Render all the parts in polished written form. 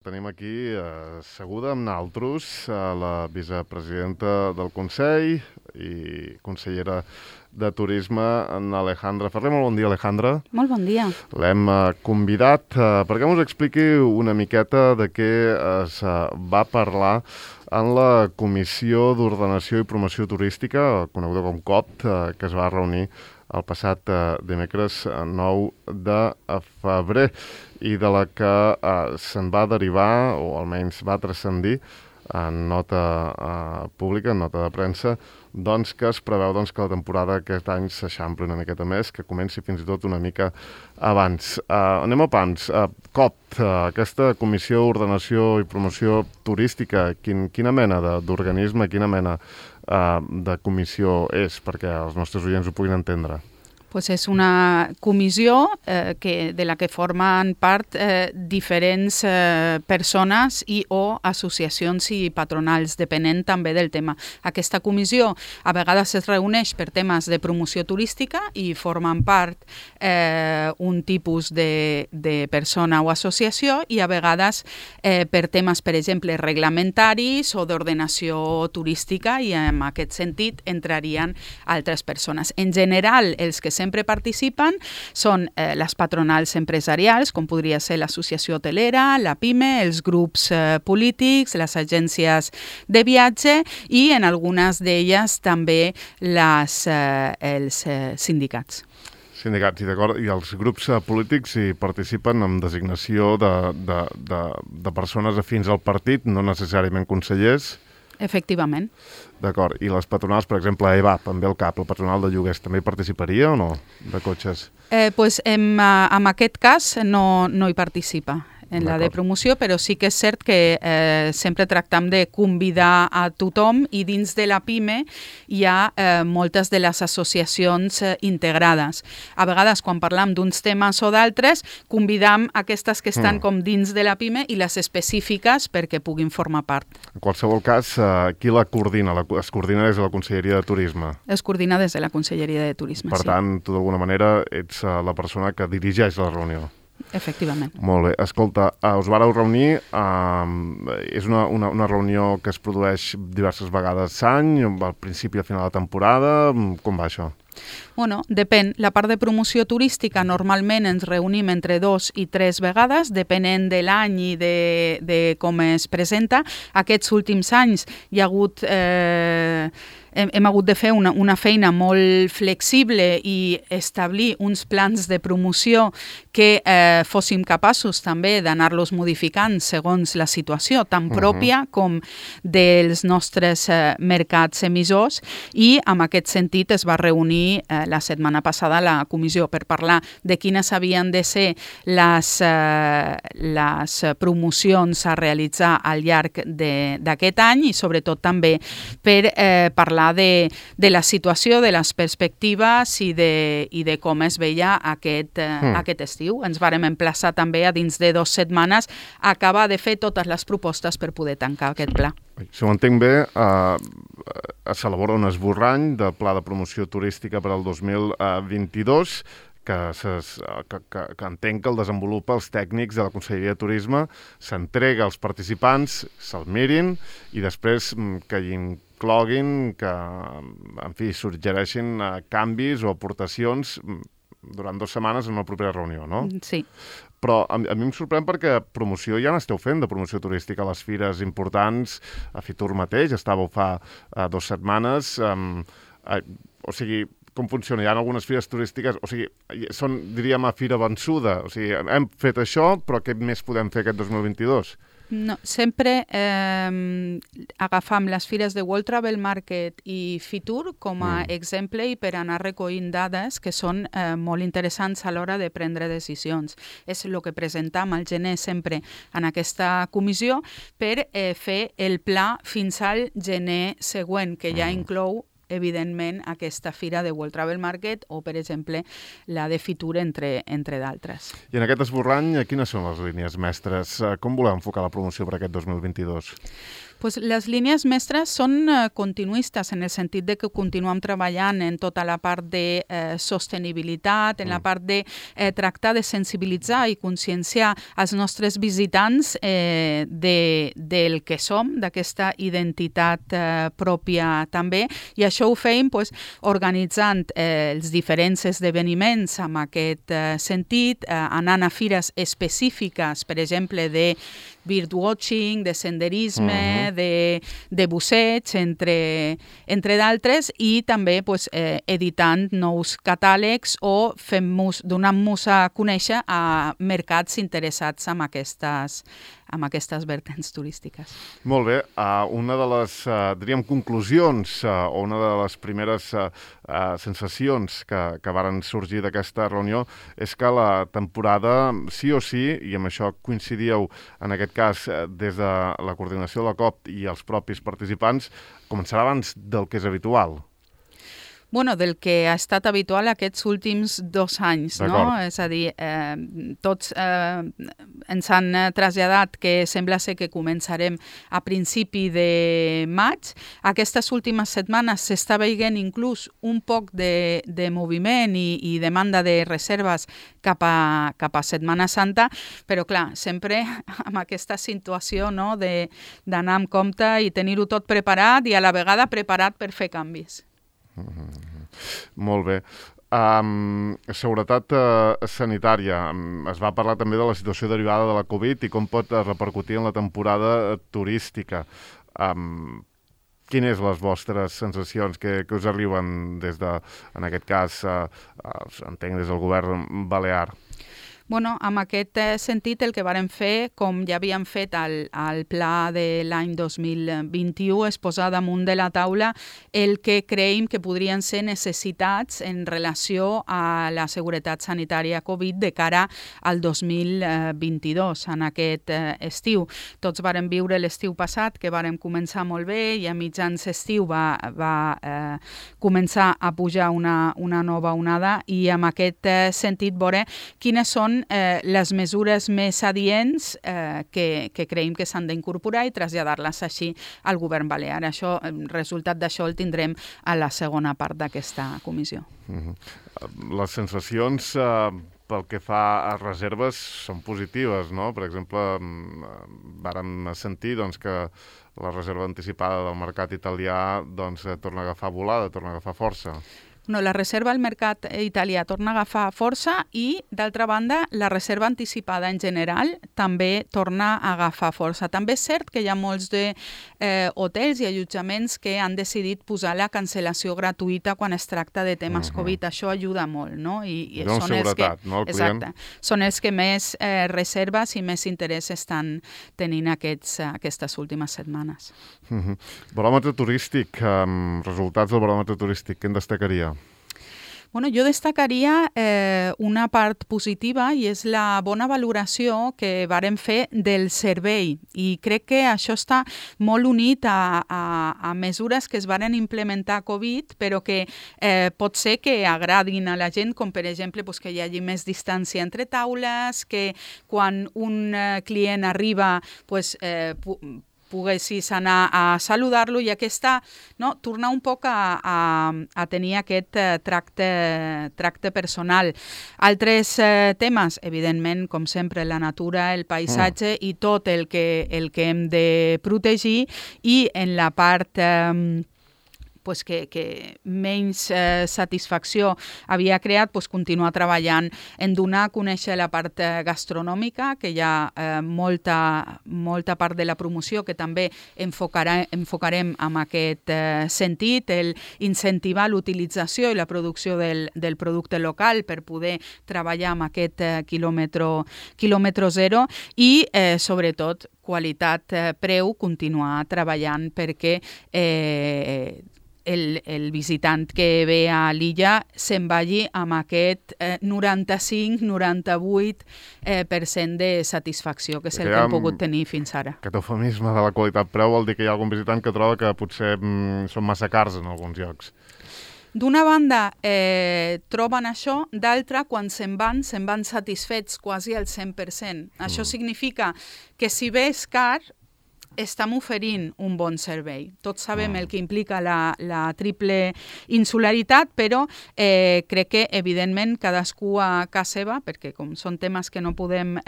Tenim aquí asseguda amb naltros la vicepresidenta del Consell i consellera de Turisme, en Alejandra Ferrer. Molt bon dia, Alejandra. Molt bon dia. L'hem convidat perquè ens expliqui una miqueta de què es va parlar en la Comissió d'Ordenació i Promoció Turística, coneguda com COP, que es va reunir el passat dimecres 9 de febrer i de la que se'n va derivar, o almenys va transcendir, en nota pública, en nota de premsa, doncs que es preveu que la temporada aquest any s'eixampli una miqueta més, que comenci fins i tot una mica abans. Anem a pams. COP, aquesta Comissió d'Ordenació i Promoció Turística, quina mena d'organisme, quina mena de comissió és, perquè els nostres oients ho puguin entendre? Pues és una comissió de la que formen part diferents persones i o associacions i patronals, depenent també del tema. Aquesta comissió a vegades es reuneix per temes de promoció turística i formen part un tipus de persona o associació i a vegades per temes, per exemple, reglamentaris o d'ordenació turística i en aquest sentit entrarien altres persones. En general, els que sempre participen són les patronals empresarials, com podria ser l'associació hotelera, la PIME, els grups polítics, les agències de viatge i en algunes d'elles també els sindicats. Sindicats, i els grups polítics hi participen amb designació de persones afins al partit, no necessàriament consellers. Efectivament. D'acord. I les patronals, per exemple, EVAP, amb el CAP, la patronal de lloguers, també hi participaria o no, de cotxes? Pues en aquest cas no hi participa en la de promoció, però sí que és cert que sempre tractem de convidar a tothom i dins de la PIME hi ha moltes de les associacions integrades. A vegades, quan parlam d'uns temes o d'altres, convidam aquestes que estan com dins de la PIME i les específiques perquè puguin formar part. En qualsevol cas, qui la coordina? Es coordina des de la Conselleria de Turisme? Es coordina des de la Conselleria de Turisme, Per tant, tu d'alguna manera ets la persona que dirigeix la reunió. Efectivament. Molt bé. Escolta, us vareu reunir, és una reunió que es produeix diverses vegades l'any, al principi i al final de temporada, com va això? Bueno, depèn. La part de promoció turística normalment ens reunim entre 2 i 3 vegades, depenent de l'any i de com es presenta. Aquests últims anys hi ha hagut... Hem hagut de fer una feina molt flexible i establir uns plans de promoció que fóssim capaços també d'anar-los modificant segons la situació, tant pròpia com dels nostres mercats emissors, i en aquest sentit es va reunir la setmana passada la comissió per parlar de quines havien de ser les promocions a realitzar al llarg d'aquest any i sobretot també per parlar de la situació, de les perspectives i de com es veia aquest estiu. Ens vàrem emplaçar també a dins de 2 setmanes a acabar de fer totes les propostes per poder tancar aquest pla. Si ho entenc bé, s'elabora un esborrany de pla de promoció turística per al 2022 que entenc que el desenvolupa els tècnics de la Conselleria de Turisme, s'entrega als participants, se'l mirin i després que hi incloguin, que, en fi, suggereixin canvis o aportacions durant 2 setmanes en una propera reunió, no? Sí. Però a mi em sorprèn perquè promoció ja n'esteu fent, de promoció turística a les fires importants, a Fitur mateix, estàveu fa 2 setmanes, o sigui, com funciona? Hi ha algunes fires turístiques, o sigui, són, diríem, a fira vençuda, o sigui, hem fet això, però què més podem fer aquest 2022? No, sempre agafam les fires de World Travel Market i Fitur com a exemple i per anar recollint dades que són molt interessants a l'hora de prendre decisions. És el que presentam al gener sempre en aquesta comissió per fer el pla fins al gener següent, que ja inclou evidentment aquesta fira de World Travel Market o, per exemple, la de Fitur, entre d'altres. I en aquest esborrany, quines són les línies mestres? Com voleu enfocar la promoció per aquest 2022? Pues les línies mestres són continuistes en el sentit de que continuem treballant en tota la part de sostenibilitat, en la part de tractar de sensibilitzar i conscienciar els nostres visitants del que som, d'aquesta identitat pròpia també, i això ho feim organitzant els diferents esdeveniments amb aquest sentit, anant a fires específiques, per exemple, de birdwatching, de senderisme, de busseig, entre d'altres, i també editant nous catàlegs o donant-nos a conèixer a mercats interessats en aquestes vertents turístiques. Molt bé. Una de les, diríem, conclusions o una de les primeres sensacions que varen sorgir d'aquesta reunió és que la temporada, sí o sí, i amb això coincidíeu en aquest cas des de la coordinació de la COP i els propis participants, començarà abans del que és habitual. Bueno, del que ha estat habitual aquests últims 2 anys, no? És a dir, tots ens han traslladat que sembla ser que començarem a principi de maig. Aquestes últimes setmanes s'està veient inclús un poc de moviment i demanda de reserves cap a Setmana Santa, però clar, sempre amb aquesta situació, no, d'anar amb compte i tenir-ho tot preparat i a la vegada preparat per fer canvis. Molt bé. Seguretat sanitària. Es va parlar també de la situació derivada de la Covid i com pot repercutir en la temporada turística. Quines les vostres sensacions que us arriben des de, en aquest cas, entenc des del govern balear? Bueno, en aquest sentit, el que vàrem fer, com ja havíem fet al pla de l'any 2021, és posar damunt de la taula el que creiem que podrien ser necessitats en relació a la seguretat sanitària Covid de cara al 2022, en aquest estiu. Tots vàrem viure l'estiu passat, que vàrem començar molt bé, i a mitjans estiu va començar a pujar una nova onada, i en aquest sentit veure quines són les mesures més adients que creiem que s'han d'incorporar i traslladar-les així al govern balear. Això, el resultat d'això el tindrem a la segona part d'aquesta comissió. Les sensacions pel que fa a reserves són positives, no? Per exemple, vàrem sentir que la reserva anticipada del mercat italià torna a agafar volada, torna a agafar força. No, la reserva al mercat italià torna a agafar força i, d'altra banda, la reserva anticipada en general també torna a agafar força. També és cert que hi ha molts hotels i allotjaments que han decidit posar la cancel·lació gratuïta quan es tracta de temes Covid. Això ajuda molt, no? I són seguretat, no? Exacte. Són els que més reserves i més interès estan tenint aquestes últimes setmanes. Baròmetre turístic, resultats del baròmetre turístic, què en destacaria? Bueno, jo destacaria una part positiva i és la bona valoració que vàrem fer del servei, i crec que això està molt unit a mesures que es varen implementar a Covid, però que pot ser que agradin a la gent, com per exemple que hi hagi més distància entre taules, que quan un client arriba poguessis anar a saludar-lo, i tornar un poc a tenir aquest tracte personal. Altres temes, evidentment, com sempre, la natura, el paisatge i tot el que hem de protegir, i en la part que menys satisfacció havia creat, continuar treballant en donar a conèixer la part gastronòmica, que hi ha molta part de la promoció que també enfocarem en aquest sentit, el incentivar l'utilització i la producció del producte local per poder treballar amb aquest quilòmetre zero, i sobretot qualitat-preu, continuar treballant perquè el visitant que ve a l'illa se'n vagi amb aquest 95-98% de satisfacció, que és el que hem pogut tenir fins ara. Aquest eufemisme de la qualitat-preu vol dir que hi ha algun visitant que troba que potser són massa cars en alguns llocs. D'una banda, troben això, d'altra, quan se'n van satisfets quasi al 100%. Això significa que si bé és car, estem oferint un bon servei. Tots sabem el que implica la triple insularitat, però crec que, evidentment, cadascú a casa seva, perquè com són temes que no podem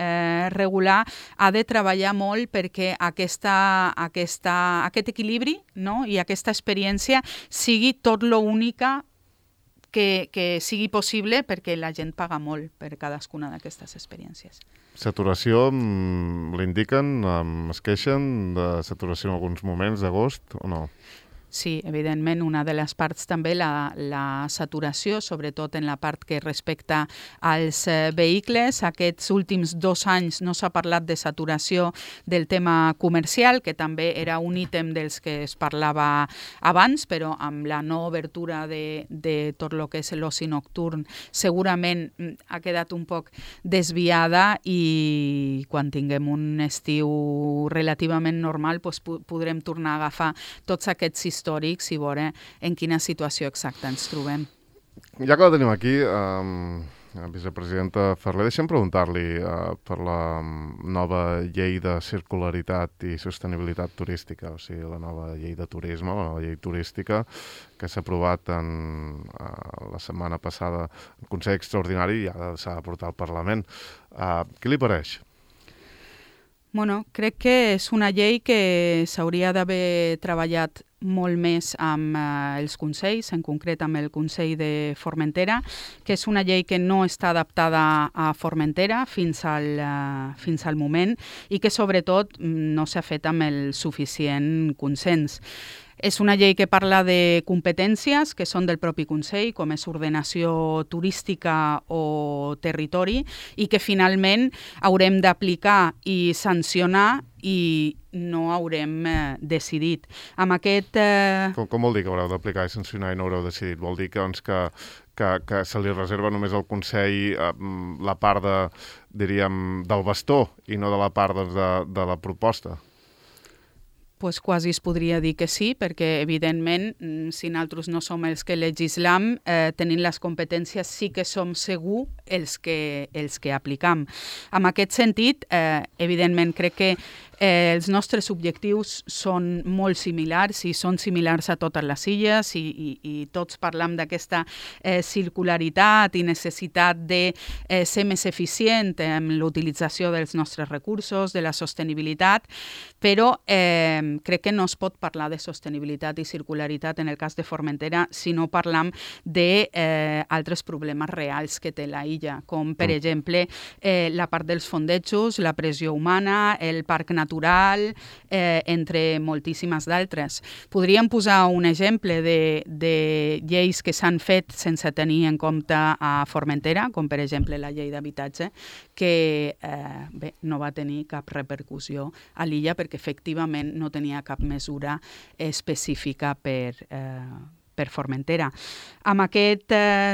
regular, ha de treballar molt perquè aquest equilibri, no? I aquesta experiència sigui tot lo única que sigui possible, perquè la gent paga molt per cadascuna d'aquestes experiències. Saturació, l'indiquen, es queixen de saturació en alguns moments d'agost o no? Sí, evidentment, una de les parts també, la saturació, sobretot en la part que respecta als vehicles. Aquests últims 2 anys no s'ha parlat de saturació del tema comercial, que també era un ítem dels que es parlava abans, però amb la no obertura de tot el que és l'oci nocturn segurament ha quedat un poc desviada, i quan tinguem un estiu relativament normal podrem tornar a agafar tots aquests històrics i veure en quina situació exacta ens trobem. Ja que la tenim aquí, vicepresidenta Ferrer, deixa'm preguntar-li per la nova llei de circularitat i sostenibilitat turística, o sigui, la nova llei de turisme, la nova llei turística, que s'ha aprovat la setmana passada en Consell Extraordinari i ara s'ha de portar al Parlament. Què li pareix? Bueno, crec que és una llei que s'hauria d'haver treballat molt més amb els consells, en concret amb el Consell de Formentera, que és una llei que no està adaptada a Formentera fins al moment i que sobretot no s'ha fet amb el suficient consens. És una llei que parla de competències que són del propi Consell, com és ordenació turística o territori, i que finalment haurem d'aplicar i sancionar i no haurem decidit. Amb aquest... Com vol dir que haureu d'aplicar i sancionar i no haureu decidit? Vol dir que se li reserva només al Consell la part del bastó i no de la part de la proposta? Pues quasi es podria dir que sí, perquè evidentment si nosaltres no som els que legislam, tenint les competències sí que som segur els que aplicam. En aquest sentit, evidentment crec que els nostres objectius són molt similars i són similars a totes les illes i tots parlam d'aquesta circularitat i necessitat de ser més eficient en l'utilització dels nostres recursos, de la sostenibilitat, però crec que no es pot parlar de sostenibilitat i circularitat en el cas de Formentera si no parlam d'altres problemes reals que té la illa, com per exemple la part dels fondejos, la pressió humana, el parc natural, entre moltíssimes d'altres. Podríem posar un exemple de lleis que s'han fet sense tenir en compte a Formentera, com per exemple la llei d'habitatge, que no va tenir cap repercussió a l'illa perquè efectivament no tenia cap mesura específica per Formentera. En aquest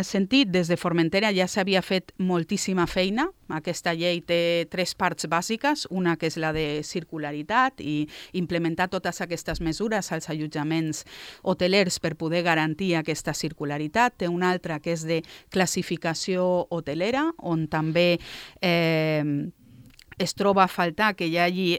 sentit, des de Formentera ja s'havia fet moltíssima feina. Aquesta llei té 3 parts bàsiques, una que és la de circularitat i implementar totes aquestes mesures als allotjaments hotelers per poder garantir aquesta circularitat. Té una altra que és de classificació hotelera, on també es troba a faltar que hi hagi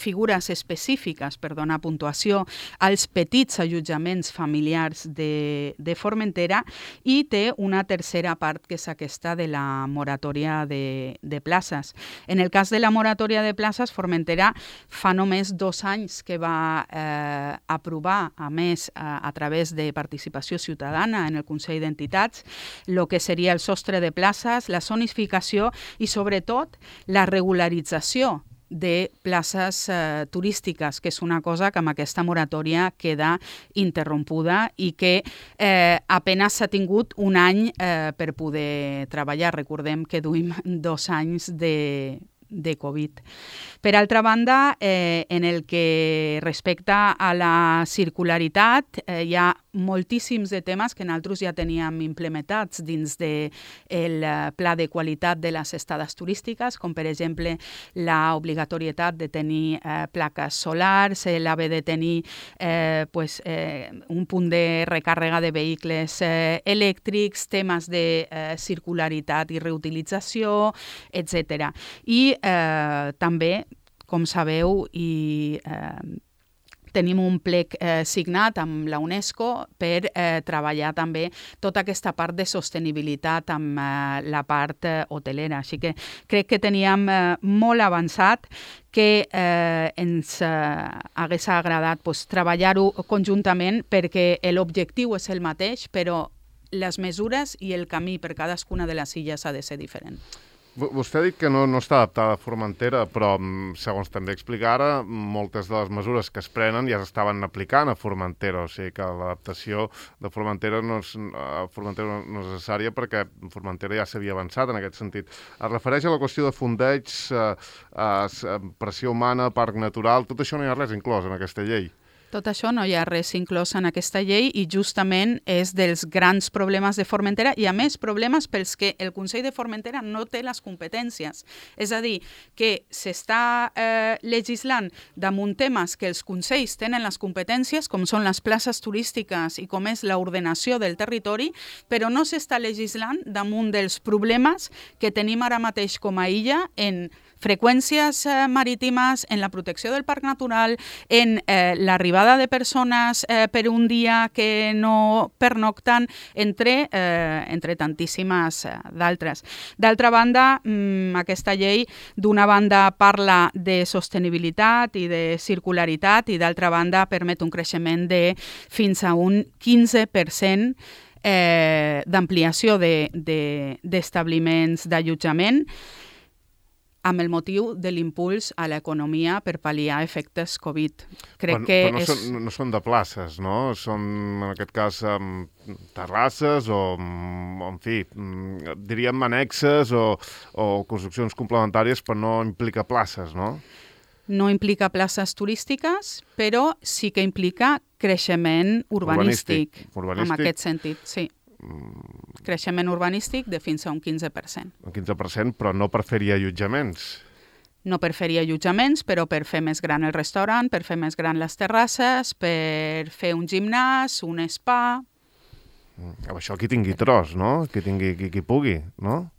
figures específiques per donar puntuació als petits allotjaments familiars de Formentera, i té una tercera part que és aquesta de la moratòria de places. En el cas de la moratòria de places, Formentera fa només 2 anys que va aprovar, a més a través de participació ciutadana en el Consell d'Entitats, el que seria el sostre de places, la zonificació i sobretot la regularització de places turístiques, que és una cosa que amb aquesta moratòria queda interrompuda i que apenas s'ha tingut un any per poder treballar. Recordem que duim 2 anys de Covid. Per altra banda, en el que respecta a la circularitat, hi ha moltíssims de temes que nosaltres ja teníem implementats dins del pla de qualitat de les estades turístiques, com per exemple l'obligatorietat de tenir plaques solars, l'haver de tenir un punt de recàrrega de vehicles elèctrics, temes de circularitat i reutilització, etc. I també com sabeu, i tenim un plec signat amb la UNESCO per treballar també tota aquesta part de sostenibilitat amb la part hotelera. Així que crec que teníem molt avançat, que ens hagués agradat treballar-ho conjuntament, perquè l'objectiu és el mateix, però les mesures i el camí per cadascuna de les illes ha de ser diferent. Vostè ha dit que no està adaptada a Formentera, però, segons també explica ara, moltes de les mesures que es prenen ja s'estaven aplicant a Formentera, o sigui que l'adaptació de Formentera no és necessària, perquè Formentera ja s'havia avançat en aquest sentit. Es refereix a la qüestió de fondeig, pressió humana, parc natural, tot això no hi ha res inclòs en aquesta llei. Tot això no hi ha res inclòs en aquesta llei i justament és dels grans problemes de Formentera i, a més, problemes pels que el Consell de Formentera no té les competències. És a dir, que s'està legislant damunt temes que els consells tenen les competències, com són les places turístiques i com és l'ordenació del territori, però no s'està legislant damunt dels problemes que tenim ara mateix com a illa en freqüències marítimes, en la protecció del parc natural, en l'arribada de persones per un dia que no pernocten, entre tantíssimes d'altres. D'altra banda, aquesta llei, d'una banda, parla de sostenibilitat i de circularitat i d'altra banda permet un creixement de fins a un 15% d'ampliació d'establiments d'allotjament, amb el motiu de l'impuls a l'economia per pal·liar efectes Covid. Però no són de places, no? Són, en aquest cas, terrasses o, en fi, diríem annexes o construccions complementàries, però no implica places, no? No implica places turístiques, però sí que implica creixement urbanístic. En aquest sentit, sí. Creixement urbanístic de fins a un 15%. Un 15%, però no per fer-hi allotjaments. No per fer-hi allotjaments, però per fer més gran el restaurant, per fer més gran les terrasses, per fer un gimnàs, un spa. Això qui tingui tros, no? Qui pugui, no?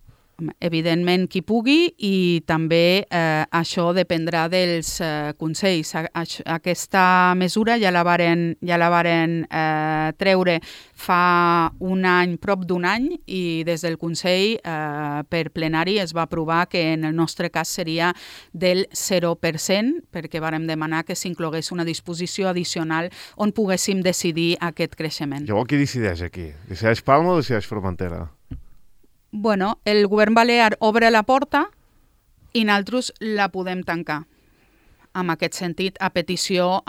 Evidentment qui pugui, i també això dependrà dels consells. Aquesta mesura ja la varen treure fa un any, prop d'un any, i des del Consell per plenari es va aprovar que en el nostre cas seria del 0%, perquè vàrem demanar que s'inclogués una disposició addicional on poguéssim decidir aquest creixement. Llavors, qui decideix aquí? Decideix Palma o decideix Formentera? Bueno, el govern balear obre la porta i nosaltres la podem tancar. En aquest sentit, a petició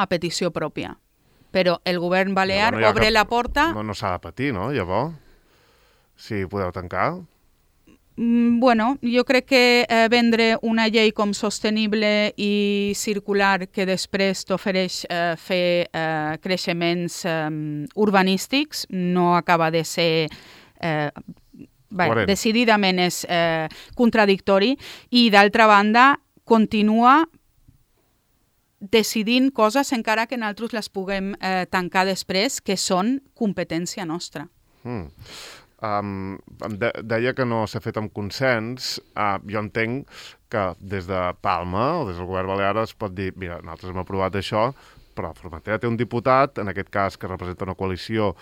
pròpia. Però el govern balear obre la porta... No s'ha de patir, no, llavors? Si podeu tancar? Bueno, jo crec que vendre una llei com sostenible i circular que després t'ofereix fer creixements urbanístics no acaba de ser... decididament és contradictori, i d'altra banda continua decidint coses encara que nosaltres les puguem tancar després, que són competència nostra. Deia que no s'ha fet amb consens. Jo entenc que des de Palma o des del govern balear es pot dir, mira, nosaltres hem aprovat això, però Formentera té un diputat, en aquest cas que representa una coalició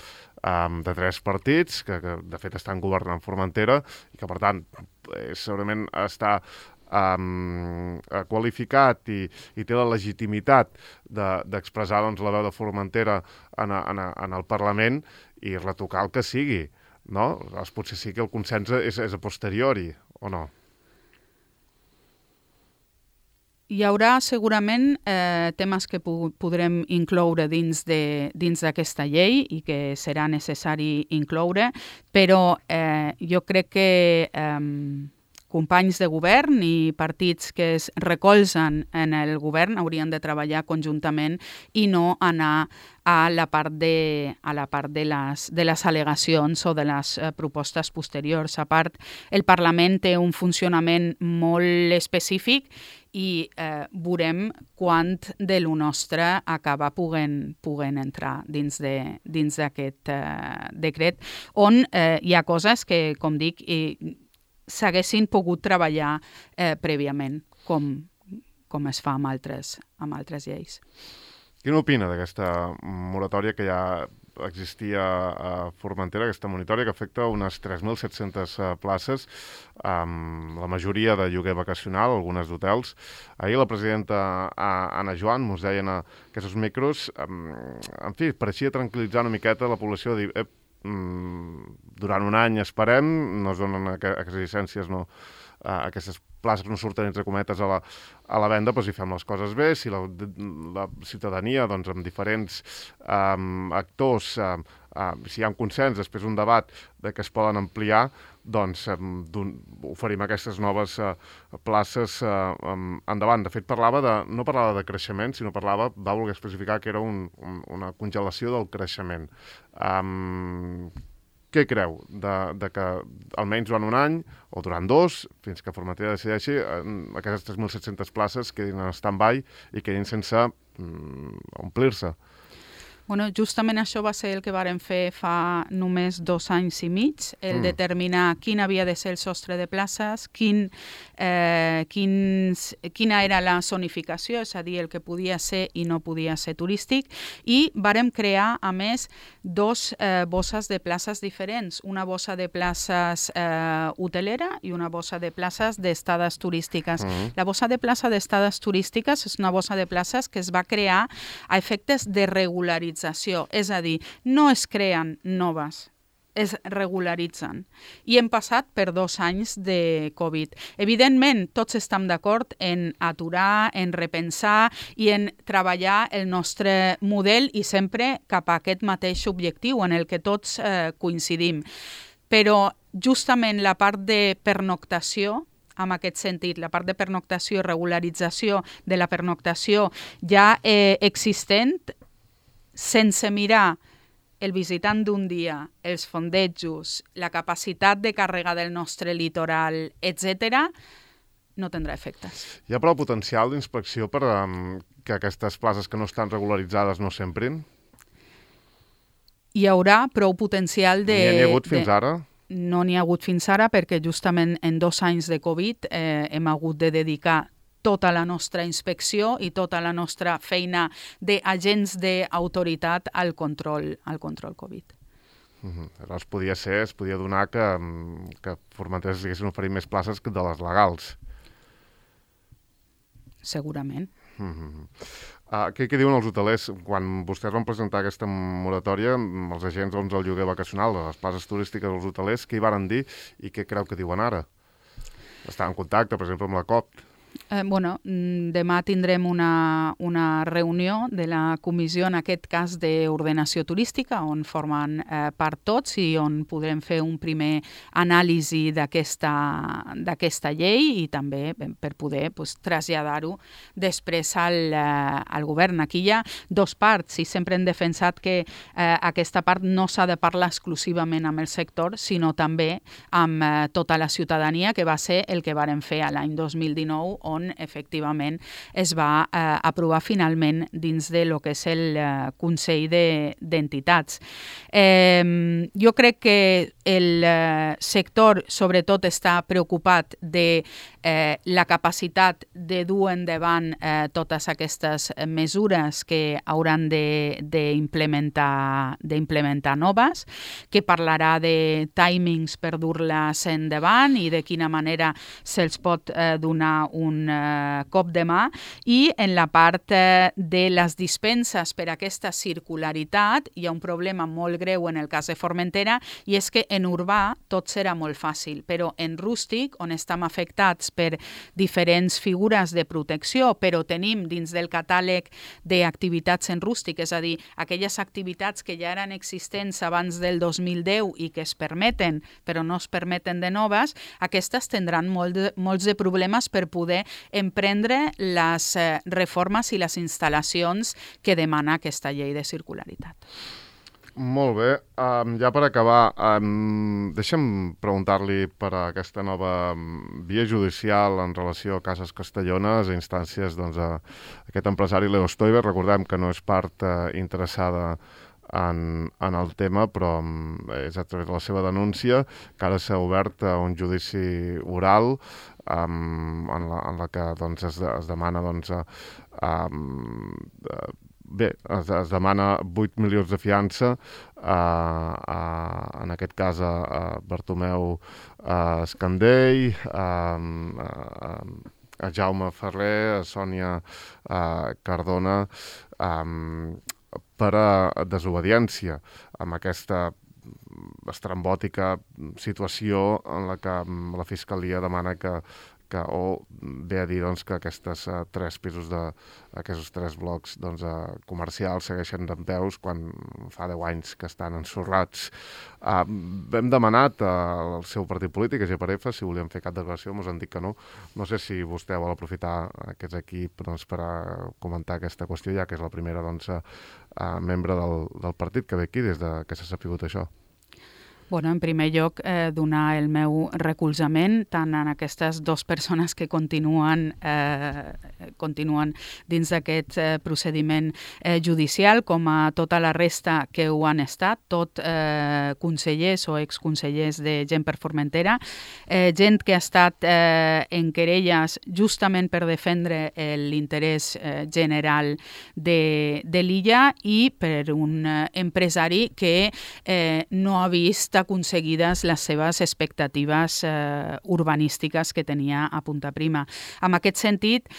de 3 partits, que de fet estan governant Formentera, i que per tant segurament està qualificat i té la legitimitat d'expressar la veu de Formentera en el Parlament i retocar el que sigui, no? Potser sí que el consens és a posteriori, o no? Hi haurà segurament temes que podrem incloure dins d'aquesta llei i que serà necessari incloure, però jo crec que companys de govern i partits que es recolzen en el govern haurien de treballar conjuntament i no anar a la part de les al·legacions o de les propostes posteriors. A part, el Parlament té un funcionament molt específic i veurem quant de lo nostre acaba puguen entrar dins d'aquest decret, on hi ha coses que, com dic, s'haguessin pogut treballar prèviament, com com es fa amb altres lleis. Quina opina d'aquesta moratòria que ja existia a Formentera, aquesta moratòria que afecta unes 3.700 places, la majoria de lloguer vacacional, algunes d'hotels? Ahir la presidenta Anna Joan ens deia en aquests micros, en fi, pareixia tranquil·litzar una miqueta la població, de dir, durant un any esperem, no es donen aquestes llicències, no, aquestes places no surten entre cometes a la venda, doncs si fem les coses bé, si la ciutadania, doncs, amb diferents actors, si hi ha un consens, després un debat de que es poden ampliar, doncs oferim aquestes noves places endavant. De fet, no parlava de creixement, sinó va voler especificar que era una congelació del creixement. Què creu de que almenys durant un any o durant 2, fins que Formentera decideixi, aquestes 3.700 places quedin en stand-by i quedin sense omplir-se? Bueno, justament això va ser el que vàrem fer fa només 2 anys i mig, el determinar quin havia de ser el sostre de places, quina era la zonificació, és a dir, el que podia ser i no podia ser turístic, i vàrem crear, a més, 2 bosses de places diferents, una bossa de places hotelera i una bossa de places d'estades turístiques. La bossa de plaça d'estades turístiques és una bossa de places que es va crear a efectes de regularització, és a dir, no es creen noves, es regularitzen. I hem passat per 2 anys de Covid. Evidentment, tots estem d'acord en aturar, en repensar i en treballar el nostre model i sempre cap a aquest mateix objectiu en el que tots coincidim. Però justament la part de pernoctació, en aquest sentit, la part de pernoctació i regularització de la pernoctació ja existent, sense mirar el visitant d'un dia, els fondejos, la capacitat de càrrega del nostre litoral, etc., no tindrà efectes. Hi ha prou potencial d'inspecció per que aquestes places que no estan regularitzades no s'emprin? Hi haurà prou potencial de... N'hi ha hagut fins ara? No n'hi ha hagut fins ara perquè justament en 2 anys de Covid hem hagut de dedicar tota la nostra inspecció i tota la nostra feina d'agents d'autoritat al control Covid. Es podia donar que Formentera s'haguessin oferit més places que de les legals. Segurament. Què diuen els hotelers? Quan vostès van presentar aquesta moratòria, els agents del lloguer vacacional, de les places turístiques dels hotelers, què hi varen dir i què creu que diuen ara? Estan en contacte, per exemple, amb la COP? Demà tindrem una reunió de la comissió, en aquest cas d'ordenació turística, on formen part tots i on podrem fer un primer anàlisi d'aquesta llei i també per poder traslladar-ho després al govern. Aquí hi ha 2 parts i sempre hem defensat que aquesta part no s'ha de parlar exclusivament amb el sector, sinó també amb tota la ciutadania, que va ser el que vàrem fer a l'any 2019, on efectivament es va aprovar finalment dins de lo que és el Consell d'Entitats. Jo crec que el sector sobretot està preocupat de la capacitat de dur endavant totes aquestes mesures que hauran d'implementar noves, que parlarà de timings per dur-les endavant i de quina manera se'ls pot donar un cop de mà, i en la part de les dispenses per aquesta circularitat hi ha un problema molt greu en el cas de Formentera, i és que en urbà tot serà molt fàcil, però en rústic, on estem afectats per diferents figures de protecció, però tenim dins del catàleg d'activitats en rústic, és a dir, aquelles activitats que ja eren existents abans del 2010 i que es permeten, però no es permeten de noves, aquestes tindran molts de problemes per poder emprendre les reformes i les instal·lacions que demana aquesta llei de circularitat. Molt bé. Ja per acabar, deixa'm preguntar-li per aquesta nova via judicial en relació a Cases Castellones, a instàncies d'aquest empresari Leo Stoiber. Recordem que no és part interessada en el tema, però és a través de la seva denúncia que ara s'ha obert un judici oral en la que doncs, es demana es demana 8 milions de fiança en aquest cas a Bartomeu Escandell, a Jaume Ferrer, a Sònia Cardona, per a desobediència amb aquesta estrambòtica situació en la que la Fiscalia demana o ve a dir doncs, que aquests 3 pisos, aquests 3 blocs comercials segueixen dempeus quan fa 10 anys que estan ensorrats. Hem demanat al seu partit polític, a GPRF, si volien fer cap declaració, ens han dit que no. No sé si vostè vol aprofitar aquest equip per a comentar aquesta qüestió, ja que és la primera membre del partit que ve aquí des que s'ha sapigut això. Bueno, en primer lloc, donar el meu recolzament tant en aquestes 2 persones que continuen dins d'aquest procediment judicial com a tota la resta que ho han estat, tot consellers o exconsellers de Gent per Formentera, gent que ha estat en querelles justament per defendre l'interès general de l'illa i per un empresari que no ha vist aconseguides les seves expectatives urbanístiques que tenia a Punta Prima. En aquest sentit,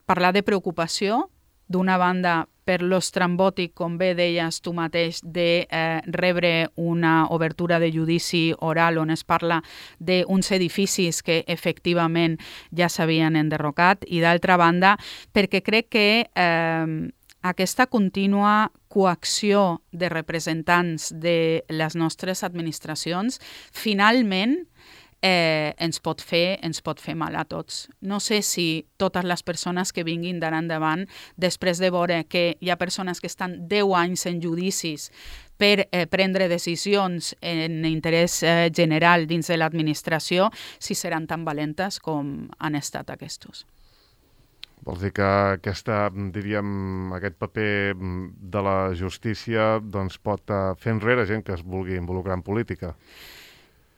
parlar de preocupació, d'una banda per l'estrambòtic, com bé deies tu mateix, de rebre una obertura de judici oral on es parla d'uns edificis que efectivament ja s'havien enderrocat, i d'altra banda perquè crec que aquesta contínua coacció de representants de les nostres administracions finalment ens pot fer mal a tots. No sé si totes les persones que vinguin d'ara endavant, després de veure que hi ha persones que estan 10 anys en judicis per prendre decisions en interès general dins de l'administració, si seran tan valentes com han estat aquests. Vols dir que aquest paper de la justícia pot fer enrere gent que es vulgui involucrar en política?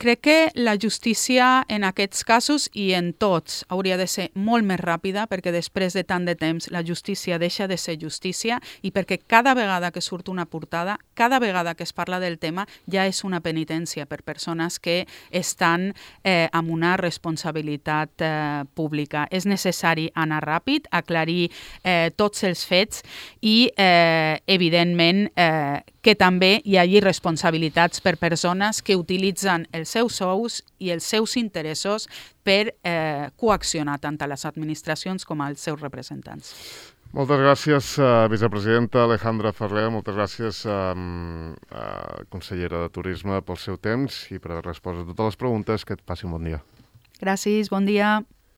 Crec que la justícia en aquests casos i en tots hauria de ser molt més ràpida perquè després de tant de temps la justícia deixa de ser justícia i perquè cada vegada que surt una portada, cada vegada que es parla del tema ja és una penitència per persones que estan amb una responsabilitat pública. És necessari anar ràpid, aclarir tots els fets i evidentment que també hi hagi responsabilitats per persones que utilitzen els seus sous i els seus interessos per coaccionar tant a les administracions com als seus representants. Moltes gràcies, vicepresidenta Alejandra Ferrer, moltes gràcies, consellera de Turisme, pel seu temps i per haver respost a totes les preguntes. Que et passi un bon dia. Gràcies, bon dia.